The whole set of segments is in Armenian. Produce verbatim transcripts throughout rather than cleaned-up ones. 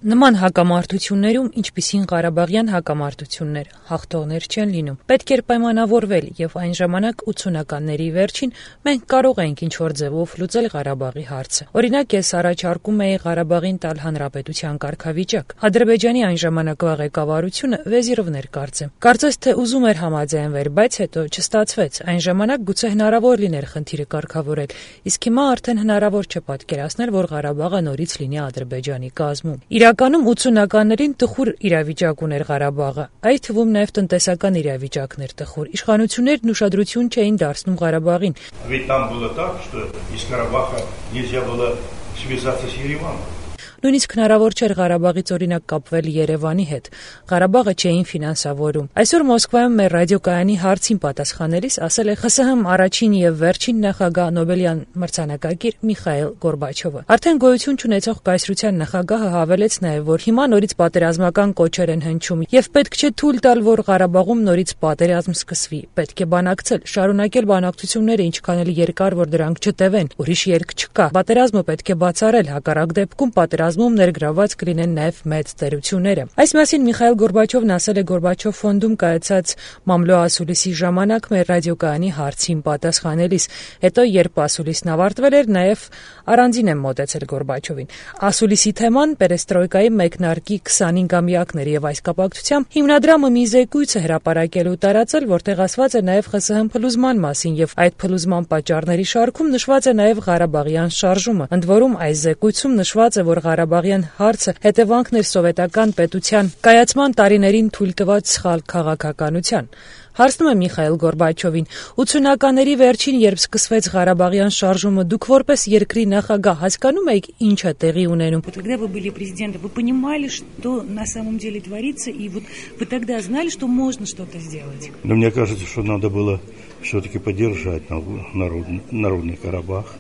Նման հակամարտություններում, ինչպիսին Ղարաբաղյան հակամարտություններ, հաղթողներ չեն լինում։ Պետք էր պայմանավորվել, եւ այն ժամանակ ութսունականների վերջին մենք կարող էինք ինչ-որ ձևով լուծել Ղարաբաղի հարցը։ Օրինակ, ես առաջարկում էի Ղարաբաղին տալ հանրապետության կարգավիճակ։ Ադրբեջանի այն ժամանակվա ղեկավարությունը Վեզիրովն էր կարծեմ։ Կարծես թե ուզում էր համաձայնվել, բայց հետո չստացվեց։ Այն ժամանակ գուցե հնարավոր լիներ խնդիրը կարգավորել, իսկ հիմա արդեն հնարավոր չէ պատկերացնել, որ Ղարաբաղը նորից լինի Ադրբեջանի կազմում։ Իրականում ութսունականներին տխուր իրավիճակ ուներ Ղարաբաղը, այդ թվում նաև տնտեսական իրավիճակն էր տխուր։ Իշխանություններն ուշադրություն չէին դարձնում Ղարաբաղին։ Ведь там было так, что из Карабаха нельзя было связаться с Ереваном. Նույնիսկ հնարավոր չէր Ղարաբաղից օրինակ կապվել Երևանի հետ։ Ղարաբաղը չէին ֆինանսավորում։ Այսօր Մոսկվայում մեր ռադիոկայանի հարցին պատասխանելիս ասել է ԽՍՀՄ առաջին եւ վերջին նախագահ Նոբելյան մրցանակակիր Միխայիլ Գորբաչովը։ Արդեն գոյություն չունեցող կայսրության նախագահը հավելեց նաեւ, որ հիմա նորից պատերազմական կոչեր են հնչում եւ պետք չէ թույլ տալ, որ Ղարաբաղում նորից պատերազմ սկսվի։ Պետք է բանակցել, շարունակել բանակցությունները ինչքան էլ երկար, որ դրանք չտևեն։ Ուրիշ երկ չկա։ Պատերազմը պետք է բացառել, հակառակ դեպքում պատերազմ ներգրաված կլինեն նաև մեծ տերությունները։ Այս մասին Միխայիլ Գորբաչովն ասել է Գորբաչով ֆոնդում կայացած մամլո ասուլիսի ժամանակ մեր ռադիոկայանի հարցին պատասխանելիս։ Հետո երբ ասուլիսն ավարտվել էր, նաև առանձին եմ մոտեցել Գորբաչովին։ Ասուլիսի թեման պերեստրոյկայի մեկնարկի քսանհինգամյակն էր եւ այս կապակցությամբ հիմնադրամը մի զեկույց է հրապարակել ու տարածել, որտեղ ասված է նաև ԽՍՀՄ փլուզման մասին եւ այդ փլուզման պատճառների շարքում նշված է նաև Ղարաբաղյան շարժումը։ Ընդ որում այս զեկույցում նշված է, որ Ղարաբաղյան հարցը հետևանքն էր սովետական պետության կայացման տարիներին թույլ տված սխալ քաղաքականության։ Հարցնում է Միխայիլ Գորբաչովին. ութսունականների վերջին, երբ սկսվեց Ղարաբաղյան շարժումը, դուք որպես երկրի նախագահ հասկանում եք ինչ է տեղի ունենում։ Когда вы были президентом, вы понимали, что на самом деле творится, и вот вы тогда знали, что можно что-то сделать? Но мне кажется, что надо было все-таки поддержать народный, народный Карабах.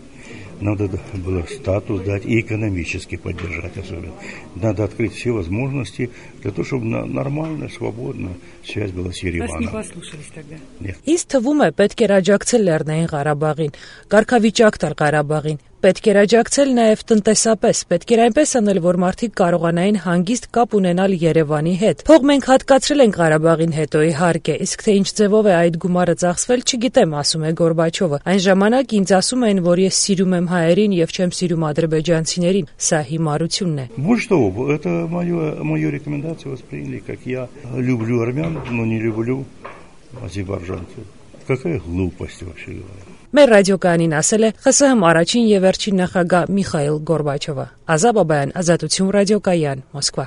Надо было статус дать и экономически поддержать особенно. Надо открыть все возможности для того, чтобы нормально, свободно связь была с Ереваном. Вас не послушались тогда? Нет. Իսկ թվում է պետք էր աջակցել Լեռնային Ղարաբաղին, կարգավիճակ տալ Ղարաբաղին, պետք էր աջակցել նաև տնտեսապես, պետք էր այնպես անել, որ մարդիկ կարողանային հանգիստ կապ ունենալ Երևանի հետ։ Փող մենք հատկացրել ենք Ղարաբաղին հետո իհարկե, իսկ թե ինչ ձևով է այդ գումարը ծախսվել, չգիտեմ, ասում է Գորբաչովը։ Այն ժամանակ ինձ ասում էին, որ ես սիրում եմ հայերին եւ չեմ сирում ադրբեջանցիներին, սա հիմարությունն է։ Вот что, это мою, мою рекомендацию восприняли, как я люблю армян, но не люблю азербайджанцев. Какая глупость вообще говоря. Մեր ռադիոկայանին ասել է ԽՍՀՄ առաջին եւ վերջին նախագահ Միխայիլ Գորբաչովը։ Ազա Բաբայան, Ազատություն ռադիոկայան, Մոսկվա։